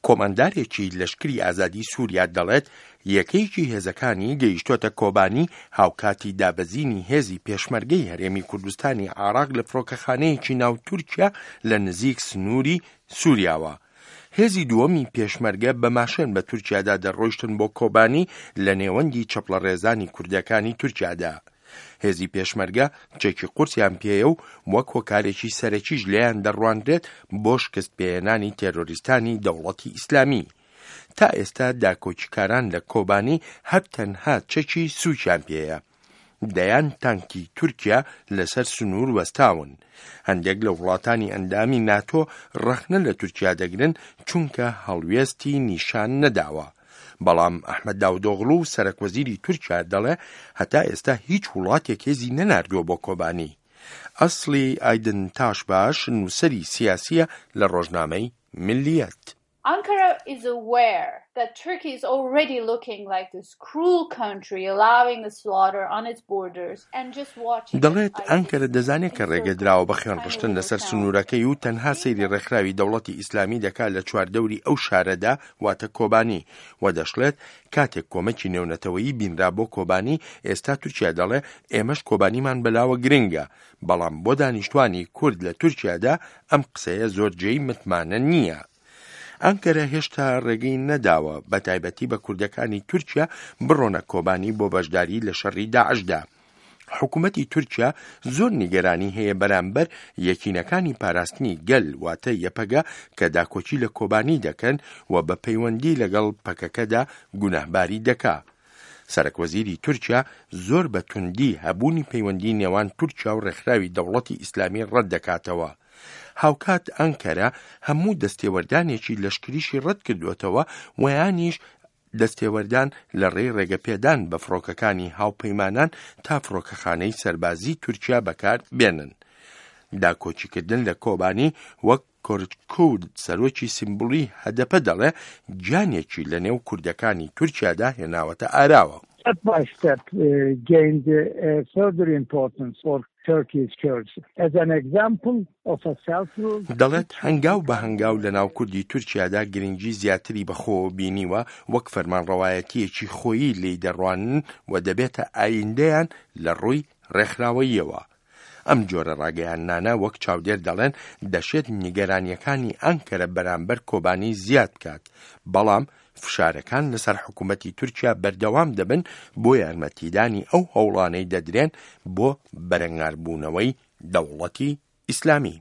کۆماندارێکی لەشکری ئازادی سووریا دەڵێت، یەکەیەکی هێزەکانی گەیشتۆتە کۆبانی هاوکاتی دابەزینی هێزی پێشمەرگەی هەرێمی کوردستانی عێراق لە فڕۆکەخانەیەکی ناو تورکیا لە نزیک سنووری سووریاوە. هێزی دووەمی پێشمەرگە بە ماشێن بە تورکیادا دەڕۆیشتن بۆ کۆبانی لە نێوەندی چەپڵەڕێزانی کوردەکانی تورکیادا. هێزی پێشمەرگە چەکی قورسیان پێیە و وەک هۆکارێکی سەرەکیش لێیان دەڕوانرێت بۆ شکست پێهێنانی تێرۆریستانی دەوڵەتی ئیسلامی. تا ئێستا داکۆکیکاران لە کۆبانی هەر تەنها چەکی سووکیان پێیە. دەیان تانکی تورکیا لەسەر سنوور وەستاون. هەندێک لە وڵاتانی ئەندامی ناتۆ ڕەخنە لە تورکیا دەگرن چونکە هەڵوێستی نیشان نەداوە. بەڵام ئەحمەد داودۆغڵو سەرەکوەزیری تورکیا دەڵێ هەتا ئێستا هیچ وڵاتێک هێزی نەناردووە بۆ کۆبانی. ئەسڵی ئایدن تاشباش نووسەری سیاسییە لە ڕۆژنامەی میللیەت. Ankara is aware that Turkey is already looking like this cruel country allowing the slaughter on its borders and just watching دەڵێت ئەنکەرە دەزانێت کە ڕێگە دراوە بە خوێنڕشتن لەسەر سنوورەکەی و تەنها سەیری ڕێکخراوی دەوڵەتی ئیسلامی دەکات لە چواردەوری ئەو شارەدا واتە کۆبانی و دەشڵێت کاتێک کۆمەکی نێونەتەوەیی بینرا بۆ کۆبانی ئێستا تورکیا دەڵێ ئێمەش کۆبانیمان بەلاوە گرنگە بەڵام بۆ دانیشتوانی کورد لە تورکیادا ئەم قسەیە زۆر جێی متمانە نییە. ئەنکەرە هێشتا ڕێگەی نەداوە بە تایبەتی بە کوردەکانی تورکیا بڕۆنە کۆبانی بۆ بەشداری لە شەڕی داعشدا. حکوومەتی تورکیا زۆر نیگەرانی هەیە بەرامبەر یەکینەکانی پاراستنی گەل واتە یەپەگە کە داکۆکی لە کۆبانی دەکەن و بە پەیوەندی لەگەڵ پەکەکەدا گوناهباری دەکا. سەرەکوەزیری تورکیا زۆر بە توندی هەبوونی پەیوەندی نێوان تورکیا و ڕێکخراوی دەوڵەتی ئیسلامی ڕەت دەکاتەوە. هاوکات ئەنکەرە هەموو دەستێوەردانێکی لەشکریشی ڕەت کردووەتەوە و یانیش دەستێوەردان لە ڕێی ڕێگەپێدان بە فڕۆکەکانی هاوپەیمانان تا فڕۆکەخانەی سەربازی تورکیا بەکار بێنن. داکۆکیکردن لە کۆبانی وەک کۆرکورد سەرۆکی سیمبولی هەدەپە دەڵێ گیانێکی لە نێو کوردەکانی تورکیادا هێناوەتە ئاراوە. Step by step gained further importance for Turkey's Kurds as an example of a self-rule. دەڵێت هەنگاو بە هەنگاو لە ناو کوردی تورکیادا گرنگی زیاتری بە خۆوە بینیوە وەک فەرمانڕەوایەتییەکی خۆیی لێی دەڕوانن و دەبێتە ئایندەیان لە ڕووی ڕێکخراوەییەوە. ئەم جۆرە ڕاگەیاندنانە وەک چاودێر دەڵێن دەشێت نیگەرانییەکانی ئەنکەرە بەرامبەر کۆبانی زیاد بکات، بەڵام فشارەکان لەسەر حکوومەتی تورکیا بەردەوام دەبن بۆ یارمەتیدانی ئەو هەوڵانەی دەدرێن بۆ بەرەنگاربوونەوەی دەوڵەتی ئیسلامی.